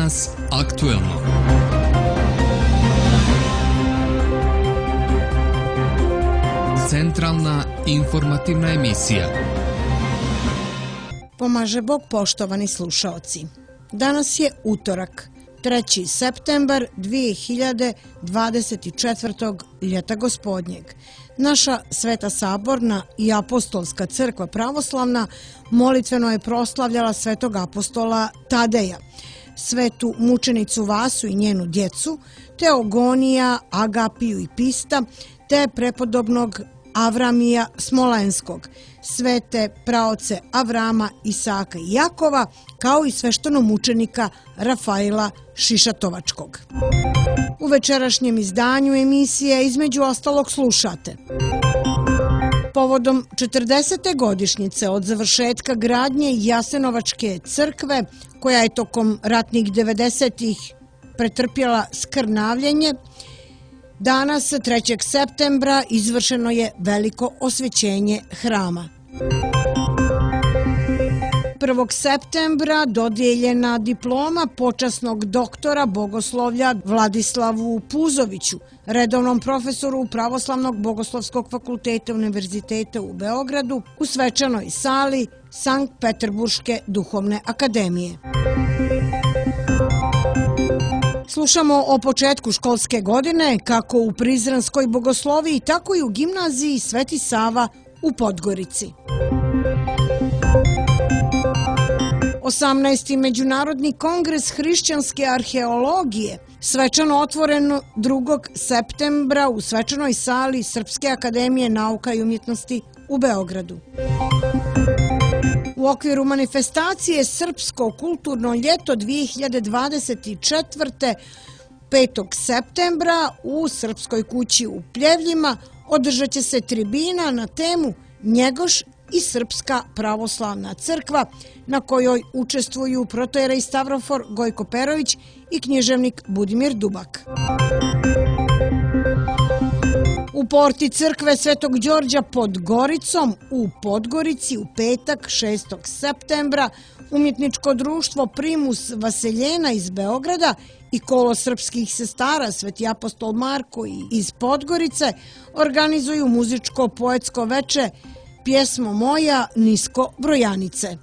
Danas aktuelno. Centralna informativna emisija. Pomaže Bog, poštovani slušaoci. Danas je utorak, 3. septembar 2024. ljeta gospodnjeg. Naša Sveta Saborna i Apostolska crkva pravoslavna molitveno je proslavljala svetog apostola Tadeja, svetu mučenicu Vasu i njenu djecu, Teogonija, Agapiju i Pista, te prepodobnog Avramija Smolenskog, svete praoce Avrama, Isaka i Jakova, kao i sveštenomučenika Rafaila Šišatovačkog. U večerašnjem izdanju emisije između ostalog slušate. Povodom 40. godišnjice od završetka gradnje Jasenovačke crkve, koja je tokom ratnih 90-ih pretrpjela skrnavljenje, danas, 3. septembra, izvršeno je veliko osvećenje hrama. 1. septembra dodijeljena diploma počasnog doktora bogoslovlja Vladislavu Puzoviću, redovnom profesoru Pravoslavnog bogoslovskog fakulteta Univerziteta u Beogradu, u svečanoj sali Sankt Peterburške duhovne akademije. Slušamo o početku školske godine, kako u Prizrenskoj bogosloviji, tako i u gimnaziji Sveti Sava u Podgorici. 18. Međunarodni kongres hrišćanske arheologije, svečano otvoren 2. septembra u svečanoj sali Srpske akademije nauka i umjetnosti u Beogradu. U okviru manifestacije Srpsko kulturno ljeto 2024. 5. septembra u Srpskoj kući u Pljevljima održat će se tribina na temu Njegoš i Srpska pravoslavna crkva, na kojoj učestvuju protojerej Stavrofor Gojko Perović i književnik Budimir Dubak. U porti crkve Svetog Đorđa pod Goricom u Podgorici u petak 6. septembra umjetničko društvo Primus Vaseljena iz Beograda i kolo srpskih sestara Sveti apostol Marko iz Podgorice organizuju muzičko-poetsko veče Pjesmo moja nisko brojanice.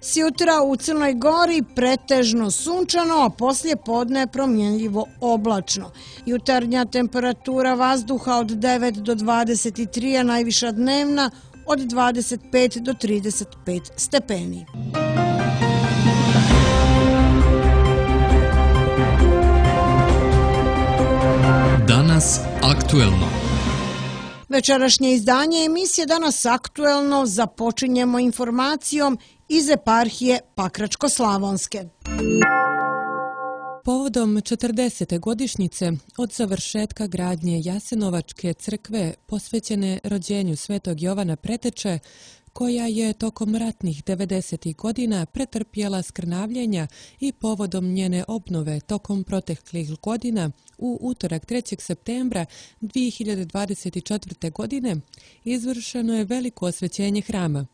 Sjutra u Crnoj Gori pretežno sunčano, a poslije podne promjenljivo oblačno. Jutarnja temperatura vazduha od 9 do 23, a najviša dnevna od 25 do 35 stepeni. Danas aktuelno. Večerašnje izdanje emisije Danas aktuelno započinjemo informacijom iz eparhije Pakračko-Slavonske. Povodom 40. godišnjice od završetka gradnje Jasenovačke crkve posvećene rođenju Svetog Jovana Preteče, koja je tokom ratnih 90. godina pretrpjela skrnavljenja, i povodom njene obnove tokom proteklih godina, u utorak 3. septembra 2024. godine izvršeno je veliko osvećenje hrama.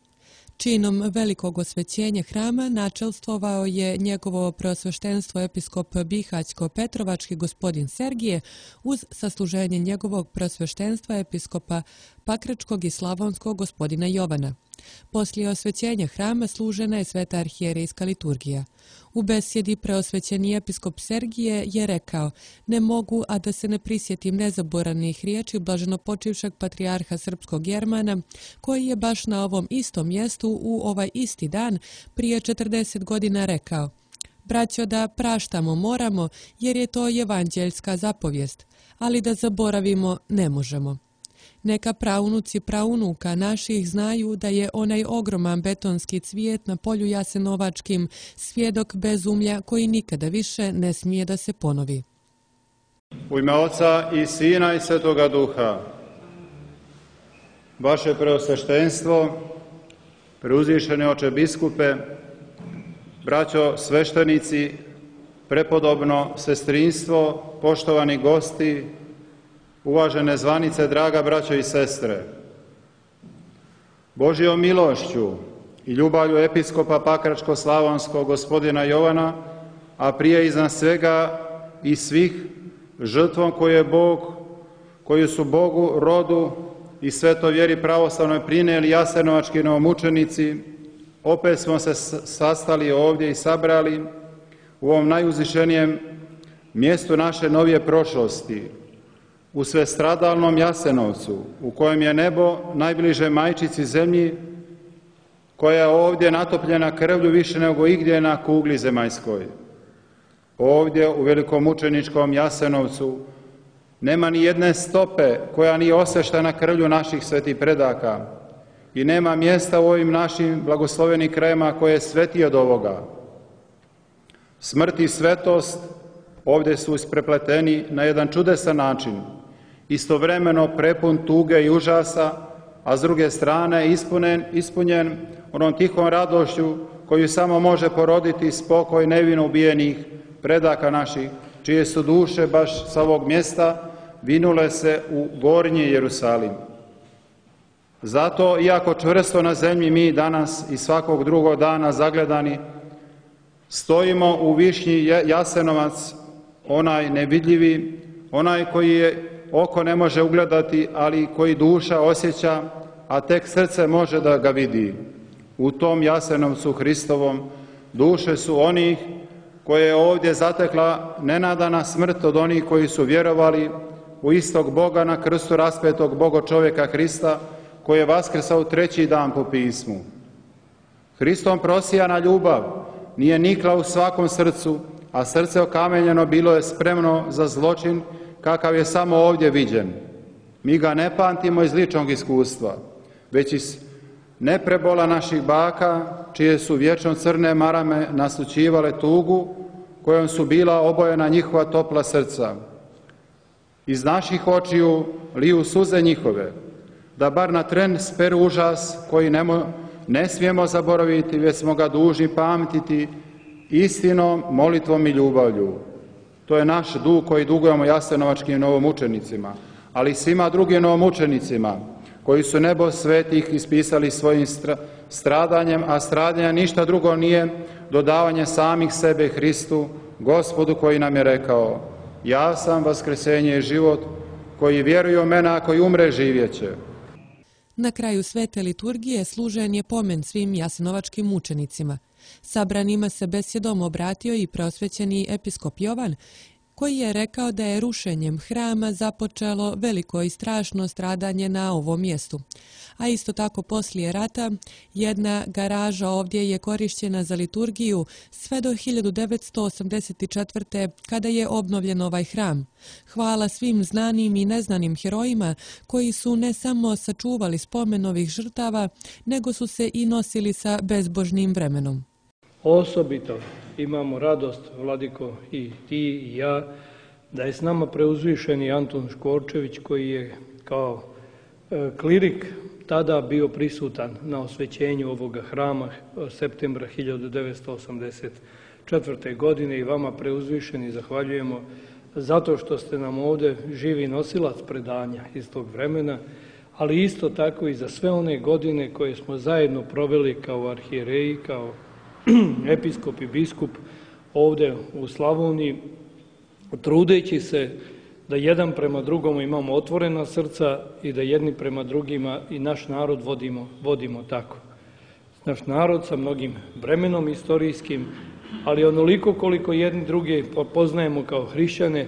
Činom velikog osvećenja hrama načelstvovao je njegovo preosveštenstvo episkop Bihaćko-Petrovački gospodin Sergije uz sasluženje njegovog preosveštenstva episkopa Pakračkog i Slavonskog gospodina Jovana. Poslije osvećenja hrama služena je sveta arhijerejska liturgija. U besjedi preosvećeni episkop Sergije je rekao: "Ne mogu, a da se ne prisjetim nezaboravnih riječi blaženopočivšeg patrijarha srpskog Jermana, koji je baš na ovom istom mjestu u ovaj isti dan prije 40 godina rekao: Braćo, da praštamo moramo, jer je to evanđeljska zapovijest, ali da zaboravimo ne možemo." Neka praunuci praunuka naših znaju da je onaj ogroman betonski cvijet na polju Jasenovačkim svjedok bezumlja koji nikada više ne smije da se ponovi. U ime Oca i Sina i Svetoga Duha, vaše preosveštenstvo, preuzvišeni oče biskupe, braćo sveštenici, prepodobno sestrinstvo, poštovani gosti, uvažene zvanice, draga braćo i sestre. Božjom milošću i ljubavlju episkopa Pakračko-slavonskog gospodina Jovana, a prije iznad svega i svih žrtvom koju su Bogu, rodu i svetoj vjeri pravoslavnoj prinijeli jasenovački novomučenici, opet smo se sastali ovdje i sabrali u ovom najuzvišenijem mjestu naše novije prošlosti, u svestradalnom Jasenovcu, u kojem je nebo najbliže majčici zemlji, koja je ovdje natopljena krvlju više nego igdje na kugli zemaljskoj. Ovdje u velikomučeničkom Jasenovcu nema ni jedne stope koja nije osveštena krvlju naših svetih predaka i nema mjesta u ovim našim blagoslovenim krajima koje je svetije od ovoga. Smrt i svetost ovdje su isprepleteni na jedan čudesan način, istovremeno prepun tuge i užasa, a s druge strane ispunjen onom tihom radošću koju samo može poroditi spokoj nevino ubijenih predaka naših, čije su duše baš sa ovog mjesta vinule se u gornji Jerusalim. Zato, iako čvrsto na zemlji mi danas i svakog drugog dana zagledani, stojimo u višnji Jasenovac, onaj nevidljivi, onaj koji je oko ne može ugledati, ali koji duša osjeća, a tek srce može da ga vidi. U tom Jasenovcu Hristovom duše su onih koje je ovdje zatekla nenadana smrt od onih koji su vjerovali u istog Boga na krstu raspetog Bogo-čovjeka Hrista, koji je vaskrsao u treći dan po pismu. Hristom prosijana ljubav nije nikla u svakom srcu, a srce okamenjeno bilo je spremno za zločin kakav je samo ovdje viđen. Mi ga ne pamtimo iz ličnog iskustva, već iz neprebola naših baka, čije su vječno crne marame naslućivale tugu, kojom su bila obojena njihova topla srca. Iz naših očiju liju suze njihove, da bar na tren speru užas koji ne smijemo zaboraviti, već smo ga dužni pamtiti istinom, molitvom i ljubavlju. To je naš dug koji dugujemo jasenovačkim novomučenicima, ali i svima drugim novomučenicima koji su nebo svetih ispisali svojim stradanjem, a stradanje ništa drugo nije dodavanje samih sebe Hristu, Gospodu koji nam je rekao: ja sam vaskresenje i život, koji vjeruje u mene, a koji umre živjet će. Na kraju svete liturgije služen je pomen svim jasenovačkim mučenicima. Sabranima se besjedom obratio i prosvećeni episkop Jovan, koji je rekao da je rušenjem hrama započelo veliko i strašno stradanje na ovom mjestu. A isto tako poslije rata jedna garaža ovdje je korišćena za liturgiju sve do 1984. kada je obnovljen ovaj hram. Hvala svim znanim i neznanim herojima koji su ne samo sačuvali spomen ovih žrtava, nego su se i nosili sa bezbožnim vremenom. Osobito imamo radost, Vladiko, i ti i ja, da je s nama preuzvišeni Antun Škorčević, koji je kao klirik tada bio prisutan na osvećenju ovoga hrama septembra 1984. godine, i vama preuzvišeni zahvaljujemo zato što ste nam ovdje živi nosilac predanja iz tog vremena, ali isto tako i za sve one godine koje smo zajedno proveli kao arhijereji, kao episkop i biskup ovdje u Slavoniji, trudeći se da jedan prema drugom imamo otvorena srca i da jedni prema drugima i naš narod vodimo tako. Naš narod sa mnogim vremenom istorijskim, ali onoliko koliko jedni druge poznajemo kao hrišćane,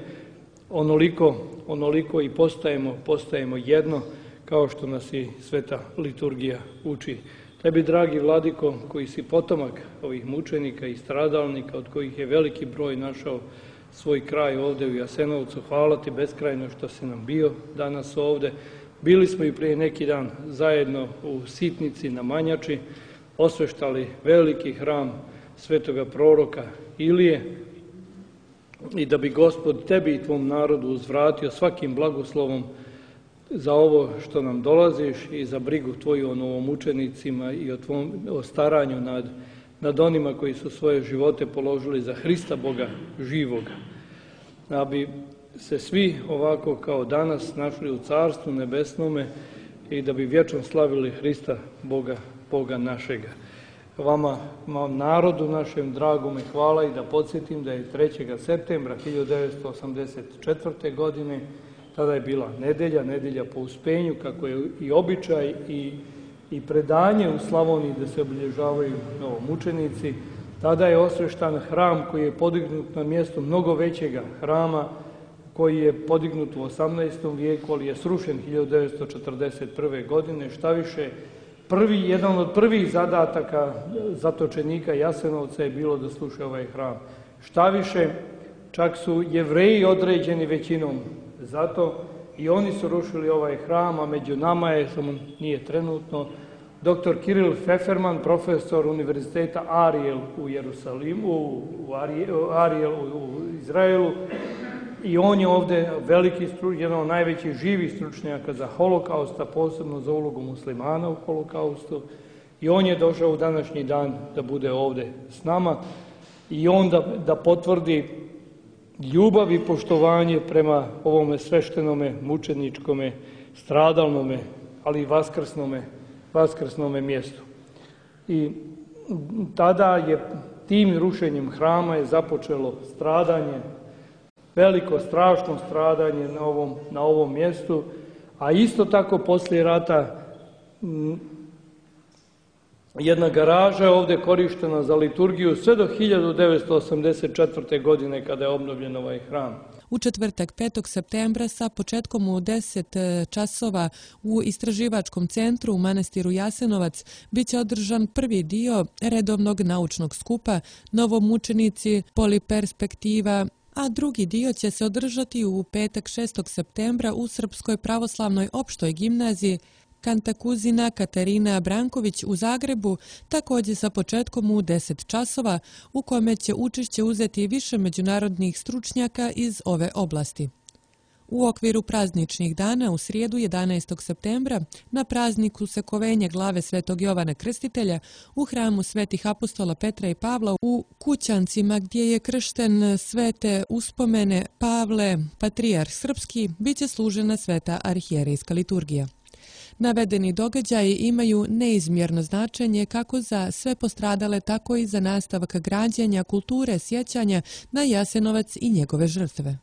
onoliko i postajemo jedno, kao što nas i sveta liturgija uči. Tebi, dragi Vladiko, koji si potomak ovih mučenika i stradalnika, od kojih je veliki broj našao svoj kraj ovdje u Jasenovcu, hvala ti beskrajno što si nam bio danas ovdje. Bili smo i prije neki dan zajedno u Sitnici na Manjači, osveštali veliki hram svetoga proroka Ilije, i da bi Gospod tebi i tvom narodu uzvratio svakim blagoslovom za ovo što nam dolaziš i za brigu tvoju o novomučenicima i o staranju nad onima koji su svoje živote položili za Hrista Boga živoga. Da bi se svi ovako kao danas našli u Carstvu nebesnome, i da bi vječno slavili Hrista, Boga našega. Vama, narodu našem, dragome, hvala i da podsjetim da je 3. septembra 1984. godine, tada je bila nedelja po uspenju, kako je i običaj i predanje u Slavoniji da se obilježavaju novomučenici. Tada je osveštan hram koji je podignut na mjestu mnogo većega hrama, koji je podignut u 18. vijeku, ali je srušen 1941. godine. Šta više, jedan od prvih zadataka zatočenika Jasenovca je bilo da sruše ovaj hram. Šta više, čak su Jevreji određeni većinom zato i oni su rušili ovaj hram, a među nama je, samo nije trenutno, dr. Kiril Feferman, profesor Univerziteta Ariel u Jerusalimu, Ariel u Izraelu, i on je ovdje veliki jedan od najvećih živih stručnjaka za holokausta, posebno za ulogu muslimana u holokaustu, i on je došao u današnji dan da bude ovdje s nama i on da potvrdi ljubav i poštovanje prema ovome sveštenome, mučeničkome, stradalnome, ali i vaskrsnome mjestu. I tada je tim rušenjem hrama je započelo stradanje, veliko, strašno stradanje na ovom mjestu, a isto tako poslije rata jedna garaža je ovdje korištena za liturgiju sve do 1984. godine kada je obnovljen ovaj hram. U četvrtak 5. septembra sa početkom u 10 časova u Istraživačkom centru u manastiru Jasenovac biće održan prvi dio redovnog naučnog skupa Novomučenici, Poliperspektiva, a drugi dio će se održati u petak 6. septembra u Srpskoj pravoslavnoj opštoj gimnaziji Kantakuzina Katarina Branković u Zagrebu, također sa početkom u 10 časova, u kome će učešće uzeti više međunarodnih stručnjaka iz ove oblasti. U okviru prazničnih dana u srijedu 11. septembra na prazniku Sekovenja glave Svetog Jovana Krstitelja u hramu Svetih apostola Petra i Pavla u Kućancima gdje je kršten svete uspomene Pavle, patrijarh srpski, bit će služena sveta arhijerejska liturgija. Navedeni događaji imaju neizmjerno značenje kako za sve postradale, tako i za nastavak građenja kulture sjećanja na Jasenovac i njegove žrtve.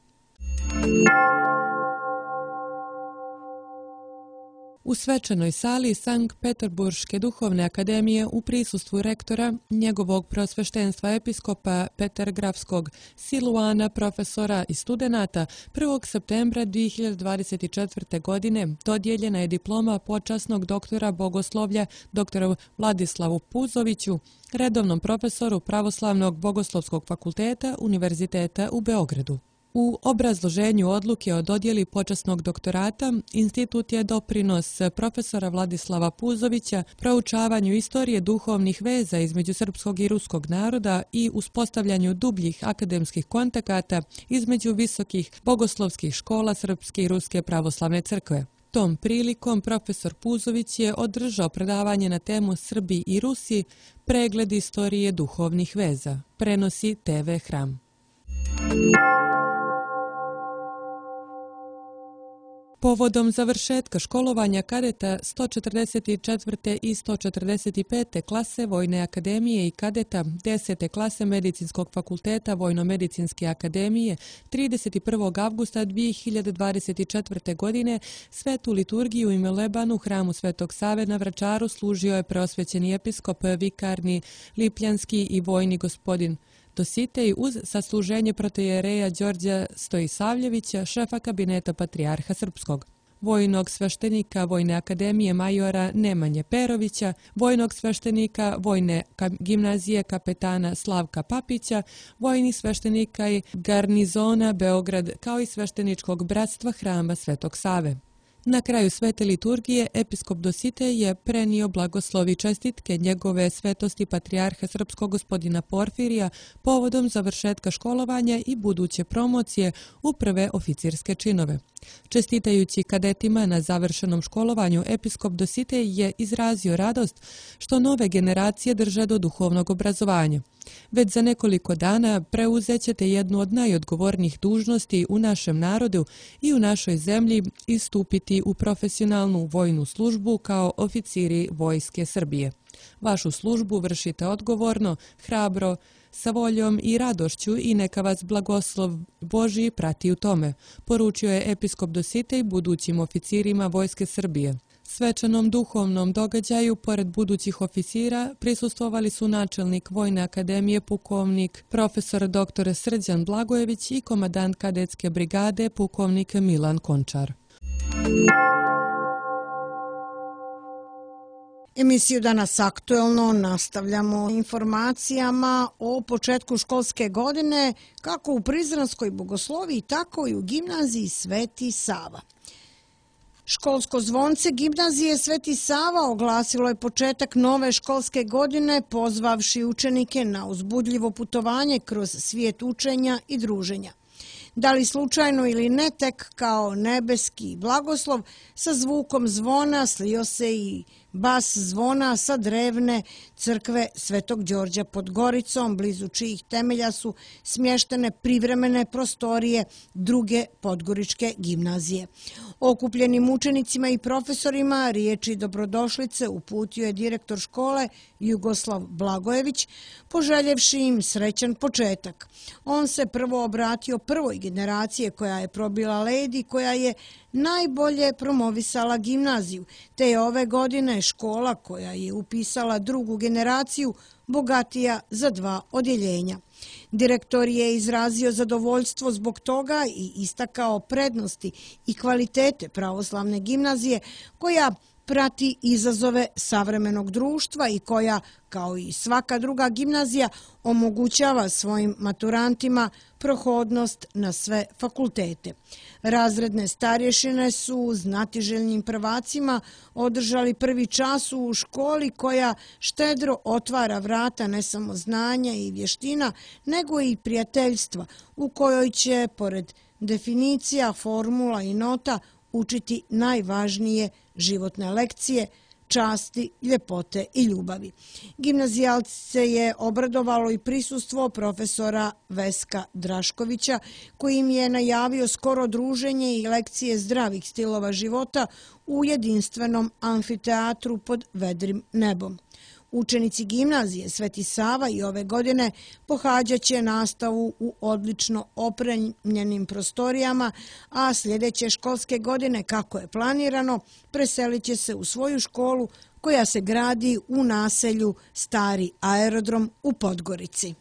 U svečanoj sali Sankt Peterburške duhovne akademije u prisustvu rektora, njegovog prosveštenstva episkopa Petergrafskog Siluana, profesora i studenata, 1. septembra 2024. godine dodijeljena je diploma počasnog doktora bogoslovlja dr. Vladislavu Puzoviću, redovnom profesoru Pravoslavnog bogoslovskog fakulteta Univerziteta u Beogradu. U obrazloženju odluke o dodjeli počasnog doktorata, institut je doprinos profesora Vladislava Puzovića proučavanju istorije duhovnih veza između srpskog i ruskog naroda i uspostavljanju dubljih akademskih kontakata između visokih bogoslovskih škola Srpske i Ruske pravoslavne crkve. Tom prilikom profesor Puzović je održao predavanje na temu Srbi i Rusi, pregled istorije duhovnih veza, prenosi TV Hram. Povodom završetka školovanja kadeta 144. i 145. klase Vojne akademije i kadeta 10. klase Medicinskog fakulteta Vojno-medicinske akademije 31. avgusta 2024. godine svetu liturgiju i meleban u hramu Svetog Save na Vračaru služio je preosvećeni episkop vikarni Lipljanski i vojni gospodin Dositej uz sasluženje protoijereja Đorđa Stojisavljevića, šefa kabineta Patrijarha Srpskog, vojnog sveštenika Vojne akademije majora Nemanje Perovića, vojnog sveštenika Vojne gimnazije kapetana Slavka Papića, vojnih sveštenika i garnizona Beograd, kao i svešteničkog bratstva hrama Svetog Save. Na kraju svete liturgije episkop Dositej je prenio blagoslovi čestitke njegove svetosti Patrijarha Srpskog gospodina Porfirija povodom završetka školovanja i buduće promocije u prve oficirske činove. Čestitajući kadetima na završenom školovanju, episkop Dositej je izrazio radost što nove generacije drže do duhovnog obrazovanja. Već za nekoliko dana preuzet ćete jednu od najodgovornijih dužnosti u našem narodu i u našoj zemlji i stupiti u profesionalnu vojnu službu kao oficiri Vojske Srbije. Vašu službu vršite odgovorno, hrabro, sa voljom i radošću i neka vas blagoslov Božji prati u tome, poručio je episkop Dositej budućim oficirima Vojske Srbije. Svečanom duhovnom događaju, pored budućih oficira, prisustvovali su načelnik Vojne akademije pukovnik profesor dr. Srđan Blagojević i komandant kadetske brigade pukovnik Milan Končar. Emisiju Danas aktuelno nastavljamo informacijama o početku školske godine kako u Prizrenskoj Bogosloviji, tako i u gimnaziji Sveti Sava. Školsko zvonce gimnazije Sveti Sava oglasilo je početak nove školske godine pozvavši učenike na uzbudljivo putovanje kroz svijet učenja i druženja. Da li slučajno ili ne, tek kao nebeski blagoslov sa zvukom zvona slio se i bas zvona sa drevne crkve Svetog Đorđa pod Goricom, blizu čijih temelja su smještene privremene prostorije druge podgoričke gimnazije. Okupljenim učenicima i profesorima riječi dobrodošlice uputio je direktor škole Jugoslav Blagojević, poželjevši im srećan početak. On se prvo obratio prvoj generacije koja je probila led i koja je najbolje promovisala gimnaziju, te je ove godine škola koja je upisala drugu generaciju bogatija za 2 odjeljenja. Direktor je izrazio zadovoljstvo zbog toga i istakao prednosti i kvalitete pravoslavne gimnazije koja prati izazove savremenog društva i koja, kao i svaka druga gimnazija, omogućava svojim maturantima prohodnost na sve fakultete. Razredne starješine su znatiželjnim prvacima održali prvi čas u školi koja štedro otvara vrata ne samo znanja i vještina, nego i prijateljstva, u kojoj će, pored definicija, formula i nota, učiti najvažnije životne lekcije, časti, ljepote i ljubavi. Gimnazijalce je obradovalo i prisustvo profesora Veska Draškovića, koji im je najavio skoro druženje i lekcije zdravih stilova života u jedinstvenom amfiteatru pod vedrim nebom. Učenici gimnazije Sveti Sava i ove godine pohađat će nastavu u odlično opremljenim prostorijama, a sljedeće školske godine, kako je planirano, preselit će se u svoju školu koja se gradi u naselju Stari aerodrom u Podgorici.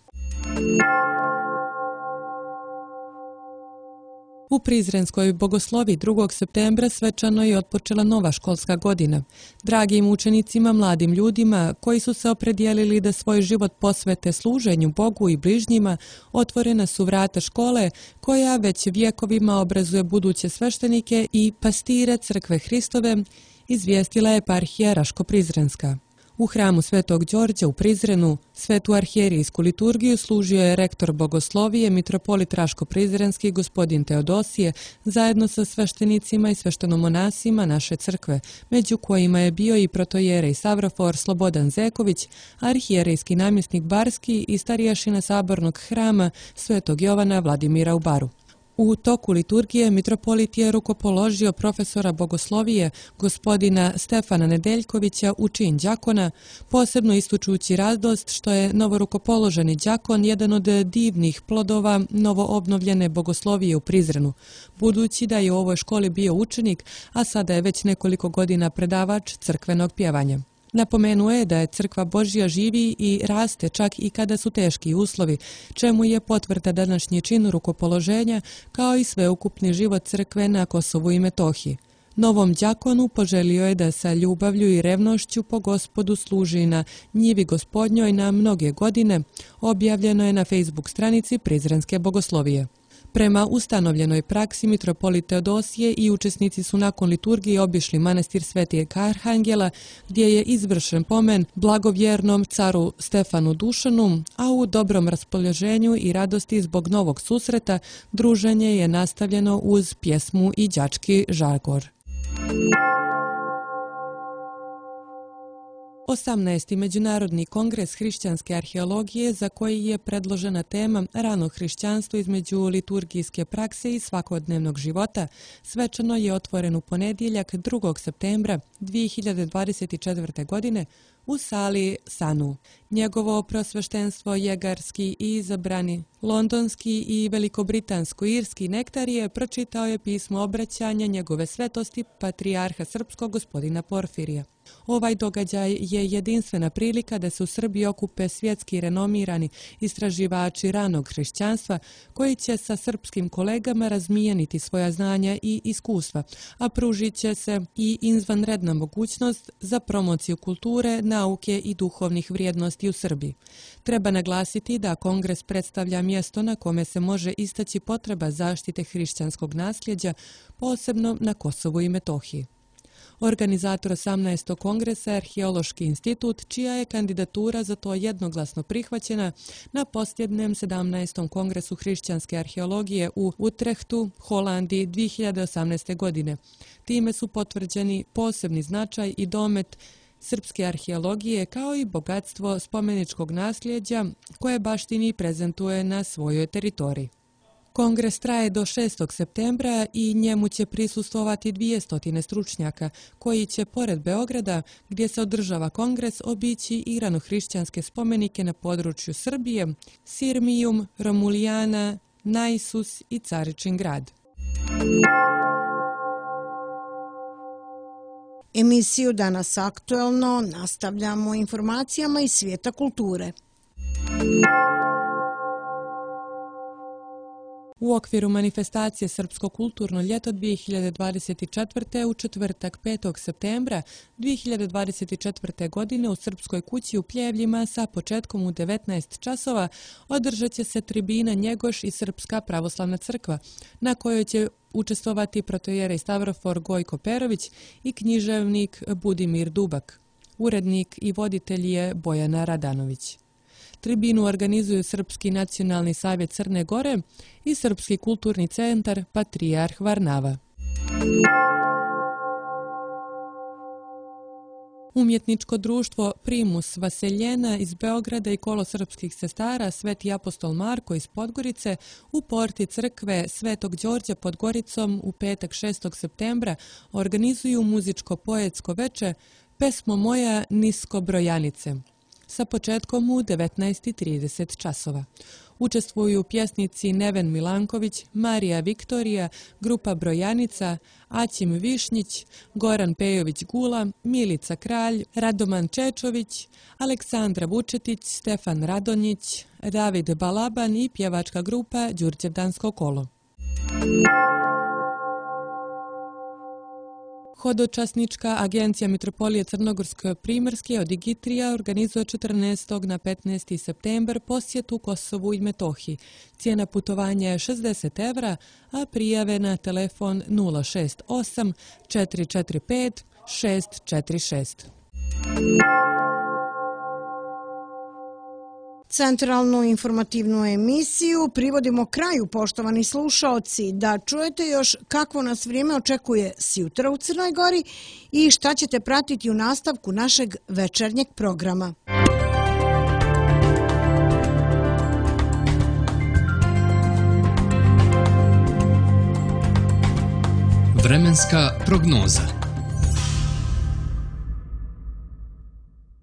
U Prizrenskoj Bogosloviji 2. septembra svečano je otpočela nova školska godina. Dragim učenicima, mladim ljudima koji su se opredijelili da svoj život posvete služenju Bogu i bližnjima, otvorena su vrata škole koja već vjekovima obrazuje buduće sveštenike i pastire Crkve Hristove, izvijestila je eparhija Raško-Prizrenska. U hramu Svetog Đorđa u Prizrenu svetu arhijerijsku liturgiju služio je rektor Bogoslovije, mitropolit Raško-Prizrenski gospodin Teodosije, zajedno sa sveštenicima i sveštenomonasima naše crkve, među kojima je bio i protojerej Savrofor Slobodan Zeković, arhijerijski namjesnik Barski i starješina sabornog hrama Svetog Jovana Vladimira u Baru. U toku liturgije mitropolit je rukopoložio profesora Bogoslovije, gospodina Stefana Nedeljkovića u čin đakona, posebno ističući radost što je novorukopoloženi đakon jedan od divnih plodova novoobnovljene Bogoslovije u Prizrenu, budući da je u ovoj školi bio učenik, a sada je već nekoliko godina predavač crkvenog pjevanja. Napomenuo je da je Crkva Božja živi i raste čak i kada su teški uslovi, čemu je potvrda današnji čin rukopoloženja kao i sveukupni život crkve na Kosovu i Metohiji. Novom đakonu poželio je da sa ljubavlju i revnošću po Gospodu služi na njivi Gospodnjoj na mnoge godine, objavljeno je na Facebook stranici Prizrenske Bogoslovije. Prema ustanovljenoj praksi, mitropolit Teodosije i učesnici su nakon liturgije obišli manastir Svetijeg Arhangela, gdje je izvršen pomen blagovjernom caru Stefanu Dušanu, a u dobrom raspoloženju i radosti zbog novog susreta druženje je nastavljeno uz pjesmu i đački žagor. 18. Međunarodni kongres hrišćanske arheologije, za koji je predložena tema rano hrišćanstvo između liturgijske prakse i svakodnevnog života, svečano je otvoren u ponedjeljak 2. septembra 2024. godine u sali Sanu. Njegovo prosveštenstvo jegarski i izabrani londonski i velikobritansko-irski nektarije pročitao je pismo obraćanja njegove svetosti patrijarha srpskog gospodina Porfirija. Ovaj događaj je jedinstvena prilika da se u Srbiji okupe svjetski renomirani istraživači ranog hrišćanstva koji će sa srpskim kolegama razmijeniti svoja znanja i iskustva, a pružit će se i izvanredna mogućnost za promociju kulture, nauke i duhovnih vrijednosti u Srbiji. Treba naglasiti da kongres predstavlja mjesto na kome se može istaći potreba zaštite hrišćanskog nasljeđa, posebno na Kosovu i Metohiji. Organizator 18. kongresa je Arheološki institut, čija je kandidatura za to jednoglasno prihvaćena na posljednjem 17. kongresu hrišćanske arheologije u Utrehtu, Holandiji 2018. godine. Time su potvrđeni posebni značaj i domet srpske arheologije kao i bogatstvo spomeničkog nasljeđa koje baštini i prezentuje na svojoj teritoriji. Kongres traje do 6. septembra i njemu će prisustvovati 200 stručnjaka koji će, pored Beograda, gdje se održava kongres, obići i ranohrišćanske spomenike na području Srbije, Sirmijum, Romulijana, Naisus i Caričin grad. Emisiju Danas aktuelno nastavljamo informacijama iz svijeta kulture. U okviru manifestacije Srpsko kulturno ljeto 2024. u četvrtak 5. septembra 2024. godine u Srpskoj kući u Pljevljima sa početkom u 19 časova održat će se tribina Njegoš i Srpska pravoslavna crkva, na kojoj će učestvovati protoijerej Stavrofor Gojko Perović i književnik Budimir Dubak. Urednik i voditelj je Bojana Radanović. Tribinu organizuju Srpski nacionalni savjet Crne Gore i Srpski kulturni centar Patrijarh Varnava. Umjetničko društvo Primus Vaseljena iz Beograda i Kolo srpskih sestara Sveti apostol Marko iz Podgorice u porti crkve Svetog Đorđa pod Goricom u petak 6. septembra organizuju muzičko-poetsko veče Pesmo moja nisko brojanice sa početkom u 19:30 časova. Učestvuju pjesnici Neven Milanković, Marija Viktorija, grupa Brojanica, Aćim Višnjić, Goran Pejović-Gula, Milica Kralj, Radoman Čečović, Aleksandra Vučetić, Stefan Radonjić, David Balaban i pjevačka grupa Đurđevdansko kolo. Hodočasnička agencija Mitropolije Crnogorsko-Primorske od Igitrija organizuje 14. na 15. septembar posjetu Kosovu i Metohiji. Cijena putovanja je 60 evra, a prijave na telefon 068 445 646. Centralnu informativnu emisiju privodimo kraju, poštovani slušaoci, da čujete još kakvo nas vrijeme očekuje sjutra u Crnoj Gori i šta ćete pratiti u nastavku našeg večernjeg programa. Vremenska prognoza.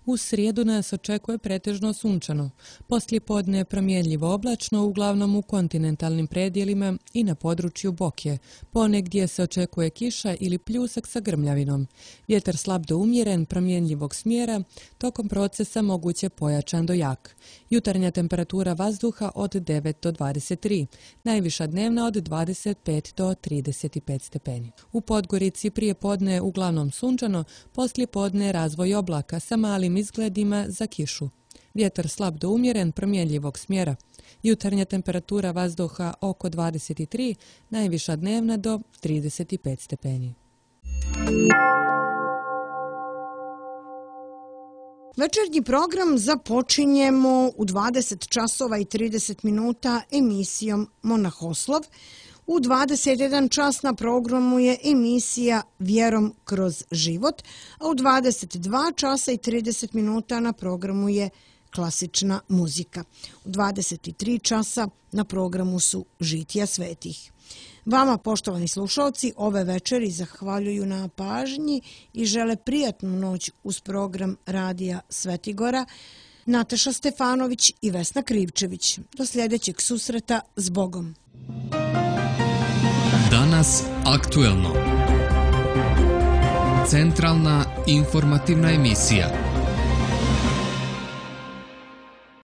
U srijedu nas očekuje pretežno sunčano. Poslijepodne je promjenljivo oblačno, uglavnom u kontinentalnim predjelima i na području Boke. Ponegdje se očekuje kiša ili pljusak sa grmljavinom. Vjetar slab do umjeren, promjenljivog smjera, tokom procesa moguće pojačan do jak. Jutarnja temperatura vazduha od 9 do 23, najviša dnevna od 25 do 35 stepeni. U Podgorici prije podne uglavnom sunčano, poslijepodne razvoj oblaka sa malim izgledima za kišu. Vjetar slab do umjeren, promjenjivog smjera. Jutarnja temperatura vazduha oko 23, najviša dnevna do 35 stepeni. Večernji program započinjemo u 20 časova i 30 minuta emisijom Monahoslov. U 21 čas na programu je emisija Vjerom kroz život, a u 22 časa i 30 minuta na programu je klasična muzika. U 23 časa na programu su Žitija svetih. Vama, poštovani slušalci, ove večeri zahvaljuju na pažnji i žele prijatnu noć uz program Radija Svetigora Nataša Stefanović i Vesna Krivčević. Do sljedećeg susreta, s Bogom. Danas aktuelno. Centralna informativna emisija.